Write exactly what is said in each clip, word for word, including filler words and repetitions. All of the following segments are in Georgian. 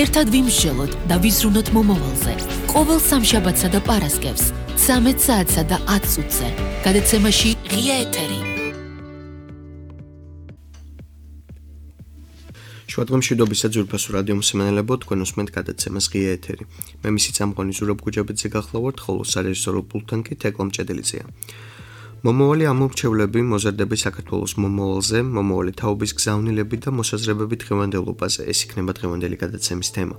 ერთად ვიმსჯელოთ და ვიზრუნოთ მომავალზე. ყოველ სამშაბათსა და პარასკევს, ცამეტ საათსა და ათ წუთზე. გადაცემაში ღია ეთერი. შუადღემშვიდობისა ძვირფასო რადიო მსმენელებო, თქვენ უსმენთ გადაცემას ღია ეთერი. მე მისი წამყვანი ზურაბ გუჯაბიძე გახლავართ, ხოლო სარეჟისორო პულტთან კი თეკლა მჭედელიძეა. მომავალი ამორჩევლები მოზარდები საქართველოს მომავალზე, მომავალი თაობის გზავნილები და მოსაზრებები დღევანდელობაზე. ეს იქნება დღევანდელი გადაცემის თემა.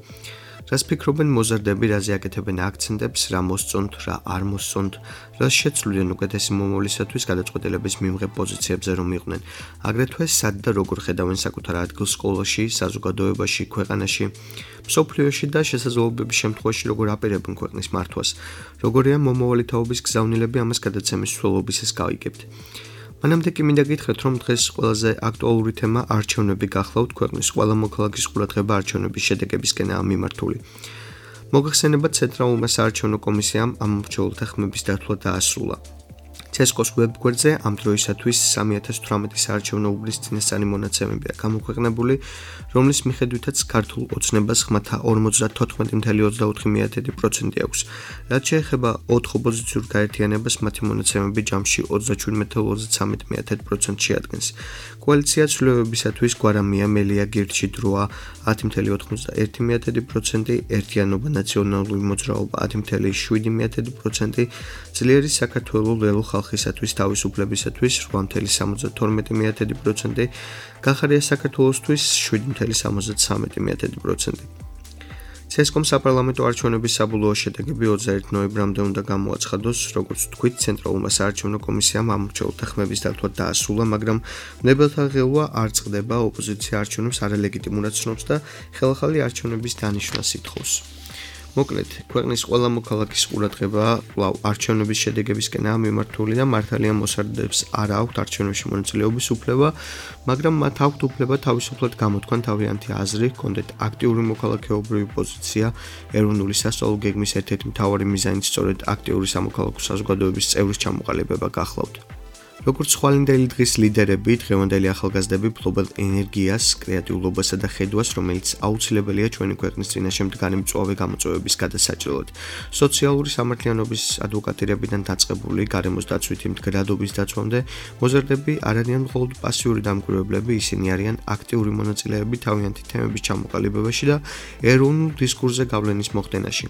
რას ფიქრობენ მოზარდები, რაზე აკეთებენ აქცენტებს, რა მოსწონთ, რა არ მოსწონთ, რას შეცვლიან უკეთესი მომავლისათვის გადაწყვეტილების მიმღებ პოზიციებზე რომ იყვნენ. აგრეთვე სად და როგორ ხედავენ საკუთარ ადგილს სკოლაში, საზოგადოებაში, ქვეყანაში, მსოფლიოში და შესაძლებლობების შემთხვევაში როგორ აპირებენ ქვეყნის მართვას. როგორია მომავალი თაობის გზავნილები, ამას გადაცემის სრულობისას გავიგებთ. მანამდე კი მინდა გითხრათ, რომ დღეს ყველაზე აქტუალური თემა არჩევნები გახლავთ, ქვეყნის ყველა მოქალაქის ყურადღება არჩევნების შედეგებისკენაა მიმართული. მოგახსენებათ, ცენტრალურმა საარჩევნო კომისიამ ამორჩეულთა ხმების დათვლა დაასრულა. ცესკოს ვებგვერდზე ამ დროისათვის სამი ათას თვრამეტი საარჩევნო უბნის წინასწარი მონაცემებია გამოქვეყნებული, რომლის მიხედვითაც ქართულ ოცნებას ხმათა ორმოცდათოთხმეტი წუთი ოცდაოთხი მეათედი პროცენტი აქვს. რაც შეეხება ოთხ ოპოზიციურ გაერთიანებას, მათი მონაცემები ჯამში ოცდაშვიდ წუთი ოცდაცამეტი მეათედი პროცენტს შეადგენს. კოალიცია ცვლილებებისათვის გვარამია, მელია, გირჩი, დროა ათი წუთი ოცდაერთი მეათედი პროცენტი, ერთიანობა, ნაციონალური მოძრაობა ათი წუთი შვიდი მეათედი პროცენტი, ძლიერი საქართველო ლელო ხალხისათვის თავისუფლებისათვის რვა წუთი სამოცდათორმეტი მეათედი პროცენტი, გახარია საქართველოსთვის შვიდი წუთი სამოცდათრამეტი მეათედი პროცენტი. ცესკომ საპარლამენტო არჩევნების საბოლოო შედეგები ოცდაერთი ნოემბრამდე უნდა გამოაცხადოს, როგორც თქვით, ცენტრალურმა საარჩევნო კომისიამ ამორჩეულთა ხმების დათვლა დაასრულა, მაგრამ მნებელთა ღელვა არ წყდება, ოპოზიცია არჩევნებს არალეგიტიმურად ცნობს და ხელახალი არჩევნების დანიშვნას ითხოვს. მოკლედ, ქვეყნის ყველა მოქალაქის ყურადღება კვლავ არჩევნების შედეგებისკენაა მიმართული და მართალია მოსარდებს არ აქვთ არჩევნებში მონაწილეობის უფლება, მაგრამ მათ აქვთ უფლება თავისუფლად გამოთქვან თავიანთი აზრი, ჰქონდეთ აქტიური მოქალაქეობრივი პოზიცია, ეროვნული სასწავლო გეგმის ერთ-ერთი მთავარი მიზანიც სწორედ აქტიური სამოქალაქო საზოგადოების წევრის ჩამოყალიბება გახლავთ. როგორც ხვალინდელი დღის ლიდერები, დღევანდელი ახალგაზრდები ფლობენ ენერგიას, კრეატიულობასა და ხედვას, რომელიც აუცილებელია ჩვენი ქვეყნის წინაშე მდგარი მწვავე გამოწვევების გადასაჭრელად. სოციალური სამართლიანობის ადვოკატირებიდან დაწყებული გარემოს დაცვითი მდგრადობის დაცვამდე, მოზარდები არ არიან მხოლოდ პასიური დამკვირვებლები, ისინი არიან აქტიური მონაწილეები თავიანთი თემების ჩამოყალიბებაში და ეროვნულ დისკურსზე გავლენის მოხდენაში.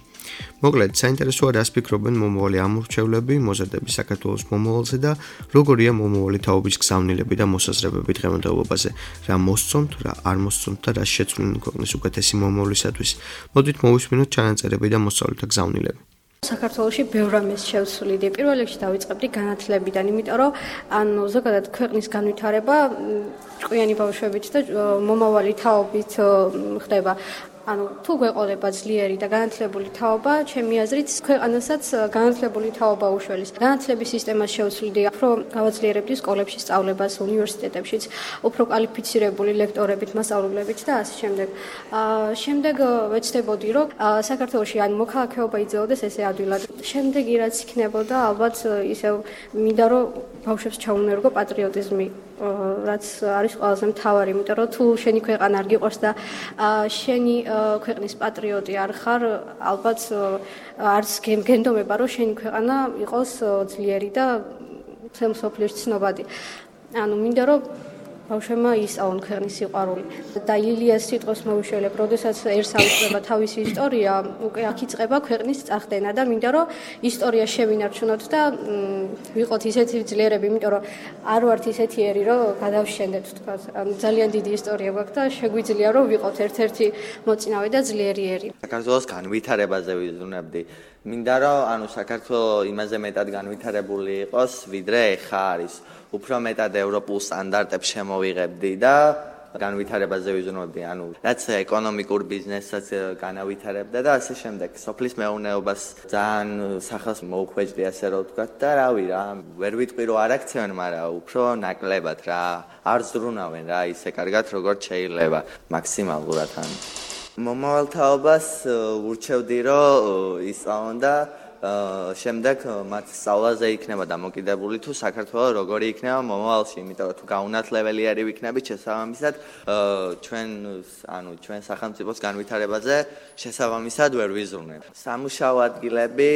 მოკლედ, საინტერესოა რას ფიქრობენ მომავალი ამორჩევლები, მოზარდები საქართველოს მომავალზე და როგორ მომავალი თაობის გზავნილები და მოსაზრებები დღევანდელობაზე, რა მოსწონთ, რა არ მოსწონთ და რა შეცვლიან ქვეყნის უკეთესი მომავლისათვის. მოდით მოვისმინოთ ჩანაწერები და მოსწავლეთა გზავნილები. საქართველოში ბევრ რამეს შევცვლიდი. პირველ რიგში დავიწყებდი განათლებიდან, იმიტომ რომ ანუ ზოგადად ქვეყნის განვითარება ჭკვიანი ბავშვებით და მომავალი თაობით ხდება. ანუ თუ გვეყოლება ძლიერი და განათლებული თაობა, ჩემი აზრით, ქვეყანასაც განათლებული თაობა უშველის. განათლების სისტემას შევცვლიდი, უფრო გავაძლიერებდი სკოლებში სწავლებას, უნივერსიტეტებშიც, უფრო კვალიფიცირებული ლექტორებით, მასწავლებლებით და ასე შემდეგ. აა შემდეგ ვეცდებოდი, რომ საქართველოში ან მოქალაქეობა იძლეოდეს ესე ადვილად. შემდეგი რაც იქნებოდა, ალბათ ისევ მინდა რომ ბავშვებს ჩაუნერგო პატრიოტიზმი, რაც არის ყველაზე მთავარი, იმიტომ რომ თუ შენი ქვეყანა არ გიყვარს და შენი ქვეყნის პატრიოტი არ ხარ, ალბათ არც გენდომება, რომ შენი ქვეყანა იყოს ძლიერი და მსოფლიოში ცნობადი. ანუ მინდა რომ ბავშვებმა ისწავლონ ქვეყნის სიყვარული. და ილიას სიტყვის მოვიშველებ, როდესაც ერს ავიწყდება თავისი ისტორია, უკვე აქ იწყება ქვეყნის წახდენა და მინდა რომ ისტორია შევინარჩუნოთ და ვიყოთ ისეთი ძლიერები, იმიტომ რომ არ ვართ ისეთიერი, რომ გადავშენდეთ, თქვა. ანუ ძალიან დიდი ისტორია გვაქვს და შეგვიძლია რომ ვიყოთ ერთ-ერთი მოწინავე და ძლიერიერი. საქართველოს განვითარებაზე ვიზრუნებდი. მინდა რომ ანუ საქართველო იმაზე მეტად განვითარებული იყოს, ვიდრე ეხა არის. უფრო მეტად ევროპულ სტანდარტებს შემოვიღებდი და განვითარებაზე ვიზრუნებდი, ანუ რაც ეკონომიკურ ბიზნესაც განავითარებდა და ასე შემდეგ. სოფლის მეურნეობას ძალიან სახელს მოუხვეჭდი, ასე რომ ვთქვათ და რავი რა, ვერ ვიტყვი რომ არ აქცევენ, მაგრამ უფრო ნაკლებად რა, არ ზრუნავენ რა, ისე კარგად როგორც შეიძლება, მაქსიმალურად ან. მომავალ თაობას ურჩევდი რომ ისწავლონ და შემდეგ მათ სწავლაზე იქნება დამოკიდებული თუ საქართველოს როგორი იქნება მომავალში, იმიტომ რომ თუ გაუნათლებელი არის ვიქნებით შესაბამისად ჩვენ ანუ ჩვენ სახელმწიფოს განვითარებაზე შესაბამისად ვერ ვიზრუნებ. სამუშაო ადგილები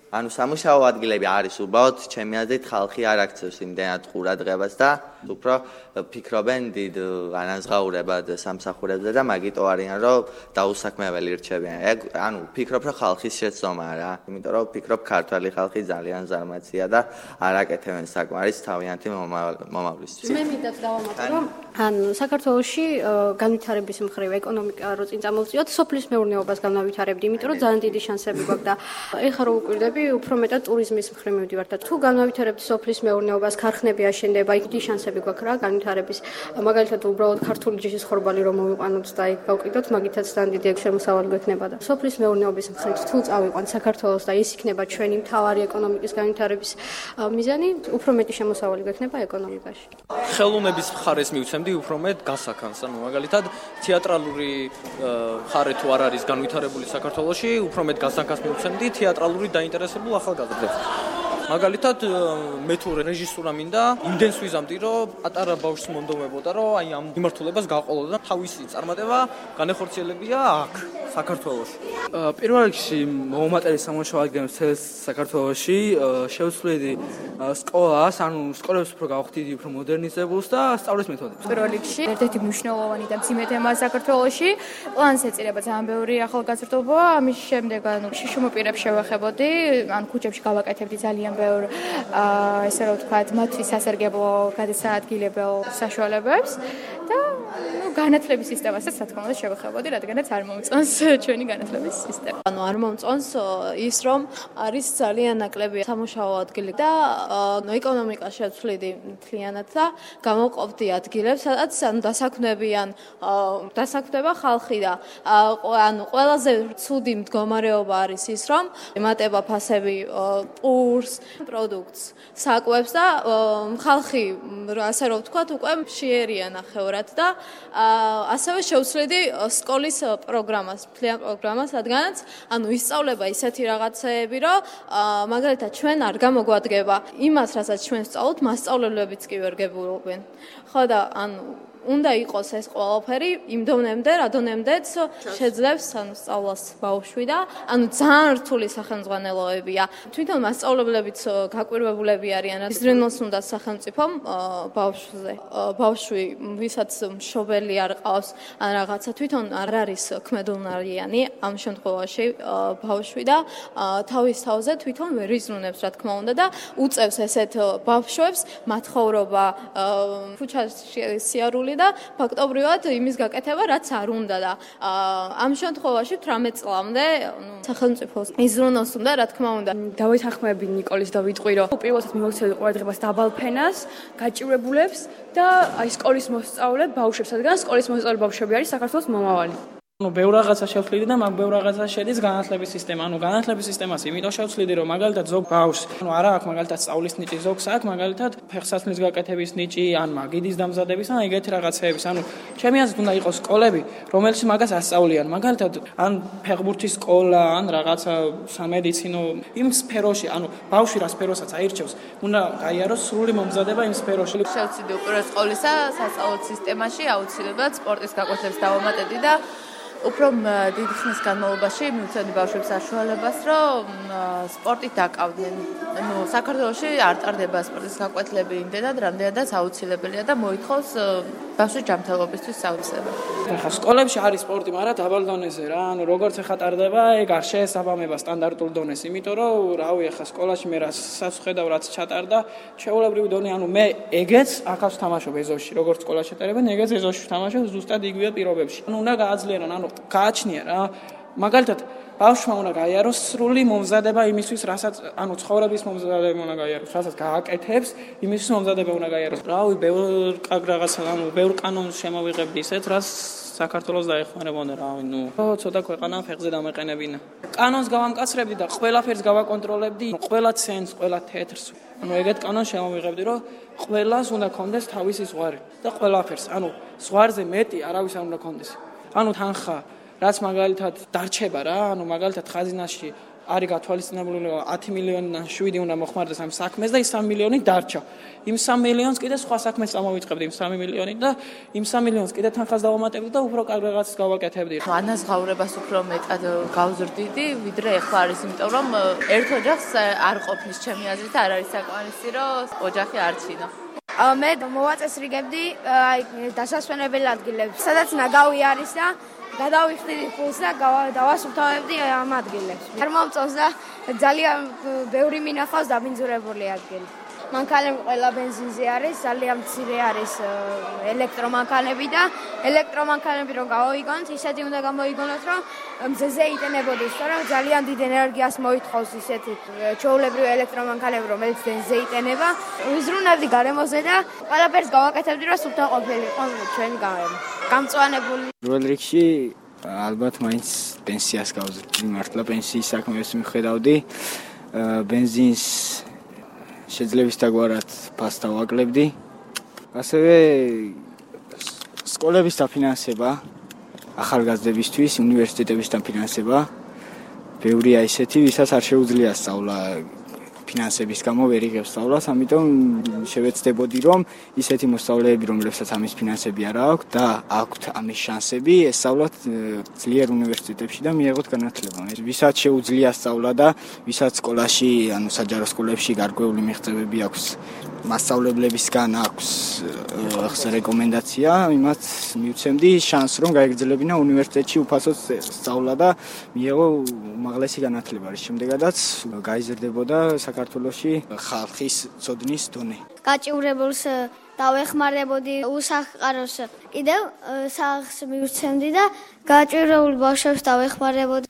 ანუ სამუშაო ადგილები არის უბრალოდ ჩემი აზრით ხალხი არ აქცევს იმდენად ყურადღებას და უფრო ფიქრობენ დიდ ანაზღაურებად სამსახურებზე და მაგიტო არიან რომ დაუსაქმებელი რჩებიან. ეგ ანუ ფიქრობ რომ ხალხის შეცდომაა რა. იმიტომ რომ ფიქრობ ქართველი ხალხი ძალიან ზარმაცია და არ აკეთებენ საკმარის თავიანთი მომავლისთვის. მე მინდა დავამატო რომ ან საქართველოში განვითარების მხრივ ეკონომიკა რო წინ წამოვწიოთ, სოფლის მეურნეობას განავითარებდი, იმიტომ რომ ძალიან დიდი შანსები გვაქვს და ეხლა რო უკვირდები, უფრო მეტად ტურიზმის მხრივ მივდივართ და თუ განავითარებთ სოფლის მეურნეობას, ქარხნები აშენდება, იქ დიდი შანსები გვაქვს რა განვითარების. მაგალითად უბრალოდ ქართული ჯიშის ხორბალი რომ მოვიყვანოთ და იქ გავყიდოთ, მაგითაც ძალიან დიდი ეგ შემოსავალი გვექნება და სოფლის მეურნეობის მხრივ თუ წავიყვანთ საქართველოს და ის იქნება ჩვენი მთავარი ეკონომიკის განვითარების მიზანი, უფრო მეტი შემოსავალი გვექნება ეკონომიკაში. ხელოვნების მხარეს მივცემდი უფრო მეტ გასაქანს, ანუ მაგალითად თეატრალური მხარე თუ არ არის განვითარებული საქართველოში, უფრო მეტ გასაქანს მივცემდი თეატრალური დაინტერესებულ ახალგაზრდებს. მაგალითად მე თუ რეჟისურა მინდა, იმდენს ვიზამდი, რომ პატარა ბავშვს მონდომებოდა, რომ აი ამ მიმართულებას გაყოლოდა და თავისი წარმატება განეხორციელებია აქ, საქართველოში. პირველ რიგში მოუმატებელი სამუშაო ადგილებს საქართველოში შევცვლიდი სკოლას, ანუ სკოლებს უფრო გავხდიდი უფრო მოდერნიზებულს და სწავლის მეთოდებს. პირველ რიგში ერთ-ერთი მნიშვნელოვანი და მძიმე თემაა საქართველოში. პლანს ეწირება ძალიან ბევრი ახალგაზრდობა, ამის შემდეგ ანუ შიშუმ პირებს შევეხებოდი, ან ქუჩებში გავაკეთებდი ძალიან ბევრ ესე რომ ვთქვათ, მათთვის სასარგებლო გადასაადგილებელ საშუალებებს და ნუ განათლების სისტემასაც რა თქმა უნდა შევეხებოდი, რადგანაც არ მომწონს ჩვენი განათლების სისტემა. ანუ არ მომწონს ის რომ არის ძალიან ნაკლები სამუშაო ადგილი და ეკონომიკა შევცვლიდი მთლიანად და გამოყოფდი ადგილებს, სადაც ანუ დასაქმნებიან დასაქმნება ხალხი და ანუ ყველაზე ცუდი მდგომარეობა არის ის რომ ემატება ფასები პურს, პროდუქტს, საკვებს და ხალხი ასე რომ ვთქვათ უკვე მშიერია ნახევრად და ასევე შევცვლიდი სკოლის პროგრამას, მთლიან პროგრამას, რადგანაც ანუ ისწავლება ისეთი რაღაცეები, რომ მაგალითად ჩვენ არ გამოგვადგება იმას, რასაც ჩვენ ვსწავლობთ, მასწავლებლებიც კი ვერ გებულობენ. ხო და ანუ უნდა იყოს ეს ყველაფერი იმ დონემდე, რა დონემდეც შეძლებს ანუ სწავლას ბავშვი და ანუ ძალიან რთული სახელმძღვანელოებია. თვითონ მასწავლებლებიც გაკვირვებულები არიან, იზრუნოს უნდა სახელმწიფომ ბავშვზე. ბავშვი, ვისაც მშობელი არ ყავს, ან რაღაცა თვითონ არ არის ქმედულნარიანი ამ შემთხვევაში ბავშვი და თავის თავზე თვითონ ვერ იზრუნებს, რა თქმა უნდა და უწევს ესეთ ბავშვებს მათხოვრობა ქუჩაში სიარული და ფაქტობრივად იმის გაკეთება, რაც არ უნდა და ამ შემთხვევაში თვრამეტ წლამდე სახელმწიფოს იზრუნოს უნდა, რა თქმა უნდა. დავეთანხმები ნიკოლის და ვიტყვი, რომ პირველად მივაქცევდი ყურადღებას დაბალ ფენას, გაჭირვებულებს და აი სკოლის მოსწავლე ბავშვებს, რადგან სკოლის მოსწავლე ბავშვები არის საქართველოს მომავალი. ანუ ბევრ რაღაცა შევცვლიდი და მაგ ბევრ რაღაცა შედის განათლების სისტემა. ანუ განათლების სისტემას იმიტომ შევცვლიდი, რომ მაგალითად ზოგ ბავშვს, ანუ არა აქვს მაგალითად სწავლის ნიჭი, ზოგს აქვს მაგალითად ფეხსაცმლის გაკეთების ნიჭი, ან მაგიდის დამზადების, ან ეგეთი რაღაცეების. ანუ ჩემი აზრით უნდა იყოს სკოლები, რომელშიც მაგას ასწავლიან. მაგალითად ან ფეხბურთის სკოლა, ან რაღაცა სამედიცინო იმ სფეროში, ანუ ბავშვი რა სფეროსაც აირჩევს, უნდა გაიაროს სრული მომზადება იმ სფეროში. შევცვლიდი უპირველეს ყოვლისა სასწავლო სისტემაში აუცილებლად სპორტის გაკვეთილებს დავამატებდი და უფრო დიდი ხნის განმავლობაში მივცემდი ბავშვებს საშუალებას, რომ სპორტით დაკავდნენ. ნუ საქართველოში არ ტარდება სპორტის გაკვეთილები იმდენად, რამდენადაც აუცილებელია და მოითხოვს ბავშვის ჯანმრთელობისთვის საოცრება. ახლა სკოლებში არის სპორტი, მაგრამ დაბალ დონეზე რა. ანუ როგორც ახლა ტარდება, ეგ არ შეესაბამება სტანდარტულ დონეს, იმიტომ რომ რავი, ახლა სკოლაში მე რასაც ხედავ, რაც ჩატარდა, ჩვეულებრივი დონე, ანუ მე ეგეც ახავს თამაშობ ეზოში, როგორც სკოლაში ეტარებენ, ეგეც ეზოში თამაშობ ზუსტად იგივე პირობებში. ანუ უნდა გააძლიერონ, ანუ გააჩნია რა. მაგალითად ბავშვმა უნდა გაიაროს სრული მომზადება იმისთვის, რასაც ანუ ცხოვრების მომზადება უნდა გაიაროს, რასაც გააკეთებს, იმისთვის მომზადება უნდა გაიაროს. რავი, ბევრ რაღაცა, ანუ ბევრ კანონს შემოვიღებდი ისეთ, რაც საქართველოს დაეხმარებოდა, რავი, ნუ ცოტა ქვეყანა ფეხზე დამეყენებინა. კანონს გავამკაცრებდი და ყველაფერს გავაკონტროლებდი, ყველა ცენს, ყველა თეთრს. ანუ ეგეთ კანონს შემოვიღებდი, რომ ყველას უნდა კონდეს თავისი ზღვარი და ყველაფერს, ანუ ზღვარზე მეტი არავის არ უნდა კონდეს. ანუ თანხა რაც მაგალითად დარჩება რა, ანუ მაგალითად ხაზინაში არის გათვალისწინებული ათი მილიონი შვიდი უნდა მოხმარდეს ამ საქმეს და ის სამი მილიონი დარჩა. იმ სამი მილიონს კიდე სხვა საქმეს წამოვიწყებდი იმ სამი მილიონით და იმ სამი მილიონს კიდე თანხას დავამატებდი და უფრო კარგ რაღაცას გავაკეთებდი. ანაზღაურებას უფრო მეტად გავზრდიდი, ვიდრე ეხლა არის, იმიტომ რომ ერთ ოჯახს არ ყოფნის ჩემი აზრით არ არის საკმარისი, რომ ოჯახი არჩინო. მე მოვაწესრიგებდი აი დასასვენებელ ადგილებს, სადაც ნაგავი არის და გადავიხდიდი ფულს და დავასუფთავებდი ამ ადგილებს. არ მომწონს და ძალიან ბევრი მინახავს დაბინძურებული ადგილი. მანქანები ყველა ბენზინზე არის, ძალიან მცირე არის ელექტრომანქანები და ელექტრომანქანები რომ გავოიგონოთ, ისეთი უნდა გამოიგონოთ, რომ მზეზე იტენებოდეს, მაგრამ ძალიან დიდ ენერგიას მოითხოვს ისეთი ჩვეულებრივი ელექტრომანქანები, რომელიც მზეზე იტენება. ვიზრუნებდი გარემოზე და ყველაფერს გავაკეთებდი, რომ სუფთა ყოფილიყო ჩვენი გარემო. გამწვანებული. პირველ რიგში ალბათ მაინც პენსიას გავზრდიდი, მართლა პენსიის საქმეს მიხედავდი. ბენზინს შეძლების დაგვარად ფას დავაკლებდი. ასევე სკოლების დაფინანსება, ახალგაზრდებისთვის უნივერსიტეტების დაფინანსება. ბევრია ისეთი, ვისაც არ შეუძლია სწავლა ფინანსების გამო ვერ იღებს სწავლას, ამიტომ შევეცდებოდი, რომ ისეთი მოსწავლეები, რომლებსაც ამის ფინანსები არ აქვს და აქვთ ამის შანსები, ესწავლათ ძლიერ უნივერსიტეტებში და მიეღოთ განათლება. ვისაც შეუძლია სწავლა და ვისაც სკოლაში, ანუ საჯარო სკოლებში გარკვეული მიღწევები აქვს, მასწავლებლებისგან აქვს რეკომენდაცია, იმათ მივცემდი შანსს, რომ გაეგრძელებინა უნივერსიტეტში უფასოდ სწავლა და მიეღო უმაღლესი განათლება. რის შემდეგაც გაიზრდებოდა საქართველოში ხალხის ცოდნის დონე. გაჭიურებულს დავეხმარებოდი უსახყაროს კიდევ სახს მივცემდი და გაჭიურებულ ბავშვებს დავეხმარებოდი.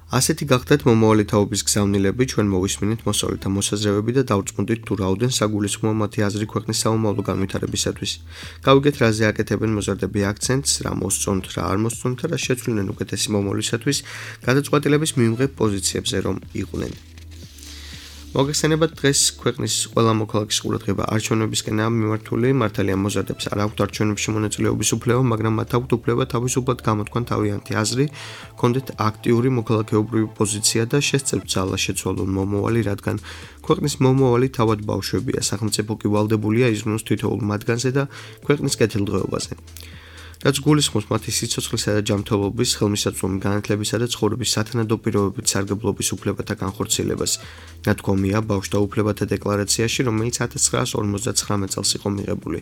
ასეთი გახდათ მომავალი თაობის გზავნილები, ჩვენ მოვისმინეთ მოსწავლეთა მოსაზრებები და დავწმუნდით თუ რაოდენ საგულისხმოა მათი აზრი ქვეყნის საომავლო განვითარებისათვის. გავიგეთ რაზე აკეთებენ მოზარდები აქცენტს, რა მოსწონთ, რა არ მოსწონთ და რა შეცვლინენ უკეთესი მომავლისათვის გადაწყვეტილების მივიღებ პოზიციებზე რომ იყვნენ. მოგეხსენებათ დღეს ქვეყნის ყველა მოქალაქის ყურადღება არჩევნებისკენაა მიმართული, მართალია მოზარდებს არ აქვთ არჩევნებში მონაწილეობის უფლება, მაგრამ მათ აქვთ უფლება თავისუფლად გამოთქვან თავიანთი აზრი, კონდეთ აქტიური მოქალაქეობრივი პოზიცია და შესწევთ ძალა შეცვალონ მომავალი, რადგან ქვეყნის მომავალი თავად ბავშვებია, სახელმწიფო კი ვალდებულია იზრუნოს თითოეულ მათგანზე და ქვეყნის კეთილდღეობაზე. რაც გულისხმობს მათი სიცოცხლისა და ჯანმრთელობის, ხელმისაწვდომი განათლებისა და ცხოვრების სათანადო პირობებით სარგებლობის უფლებათა განხორციელებას. ნათქვამია ბავშვთა უფლებათა დეკლარაციაში, რომელიც ათას ცხრაას ორმოცდაცხრამეტ წელს იყო მიღებული.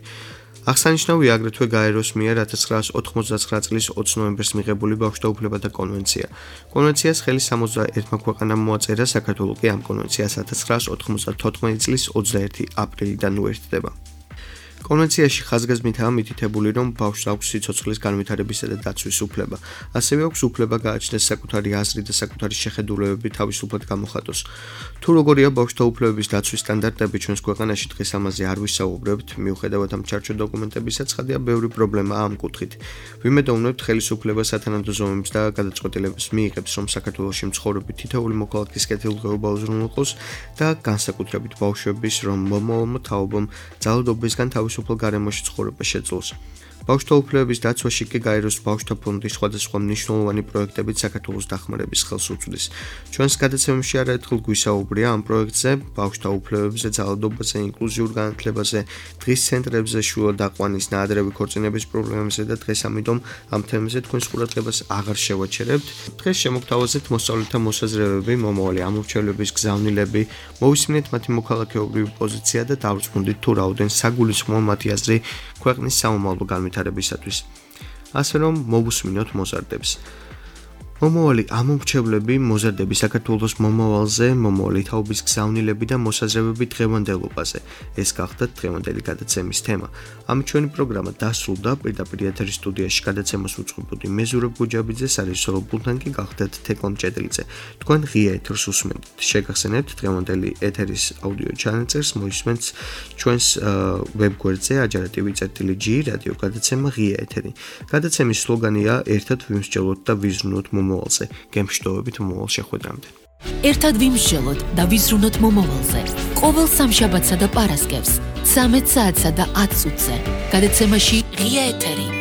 აღსანიშნავია აგრეთვე გაეროს მიერ ათას ცხრაას ოთხმოცდაცხრა წლის ოცი ნოემბერს მიღებული ბავშვთა უფლებათა კონვენცია. კონვენციას ხელი სამოცდაერთმა ქვეყანამ მოაწერა, საქართველო კი ამ კონვენციას ათას ცხრაას ოთხმოცდათოთხმეტი წლის ოცდაერთი აპრილიდან უერთდება. კონვენციაში ხაზგასმითაა მითითებული, რომ ბავშვს აქვს სიცოცხლის განვითარებისა და დაცვის უფლება. ასევე აქვს უფლება გააჩნდეს საკუთარი აზრი და საკუთარი შეხედულებები თავისუფლად გამოხატოს. თუ როგორია ბავშვთა უფლებების დაცვის სტანდარტები ჩვენს ქვეყანაში, დღეს ამაზე არ ვისაუბრებთ, მიუხედავად ამ ჩარჩო დოკუმენტებისა, ცხადია ბევრი პრობლემაა ამ კუთხით. ვიმედოვნებთ ხელისუფლება სათანადო ზომებს და გადაწყვეტილებას მიიღებს, რომ საქართველოში მცხოვრები თითოეული მოქალაქის კეთილდღეობა უზრუნველყოს და განსაკუთრებით ბავშვების, რომ მომავალმა თაობამ ძალადობისგან თავისუფალ გარემოში ცხოვრება შეძლოს. ბავშვთა უფლებების დაცვაში კი გაეროს ბავშვთა ფონდი სხვადასხვა მნიშვნელოვანი პროექტებით საქართველოს დახმარების ხელს უწვდის. ჩვენს გადაცემებში არაერთხელ გვისაუბრია ამ პროექტზე, ბავშვთა უფლებებზე, ძალადობაზე, ინკლუზიურ განათლებაზე, დღის ცენტრებზე, შუა დაყვანის, ნაადრევი ქორწინების პრობლემებზე და დღეს ამიტომ ამ თემებზე თქვენს ყურადღებას აღარ შევაჩერებთ. დღეს შემოგთავაზებთ მოსწავლეთა მოსაზრებები, მომავალი ამორჩევლების გზავნილები, მოვისმინეთ მათი მოქალაქეობრივი პოზიცია და დავწმუნდით თუ რაოდენ საგულისხმოა მათი აზრი ქვეყნის საომავლო განვითარებისათვის. ასე რომ მოვუსმინოთ მოზარდებს. მომავალი ამორჩევლები, მოზარდები საქართველოს მომავალზე, მომავალი თაობის გზავნილები და მოსაზრებები დღევანდელობაზე. ეს გახდათ დღევანდელი გადაცემის თემა. ამით ჩვენი პროგრამა დასრულდა. პირდაპირ ეთერის სტუდიაში გადაცემას უწყობოდი მე ზურაბ გუჯაბიძე, სარეჟისორო პულტთან კი გახდათ თეკლა მჭედელიძე. თქვენ ღია ეთერს უსმენთ. შეგახსენებთ დღევანდელი ეთერის აუდიო ჩანაწერს მოისმენთ ჩვენს ვებგვერდზე ajarativi.gi რადიო გადაცემა ღია ეთერი. გადაცემის სლოგანია ერთად ვიმსჯელოთ და ვიზრუნოთ მომავალზე. გემშვიდობებით მომავალ შეხვედრამდე. ერთად ვიმსჯელოთ და ვიზრუნოთ მომავალზე. ყოველ სამშაბათსა და პარასკევს, ცამეტ საათსა და ათ წუთზე. გადაცემაში ღია ეთერი.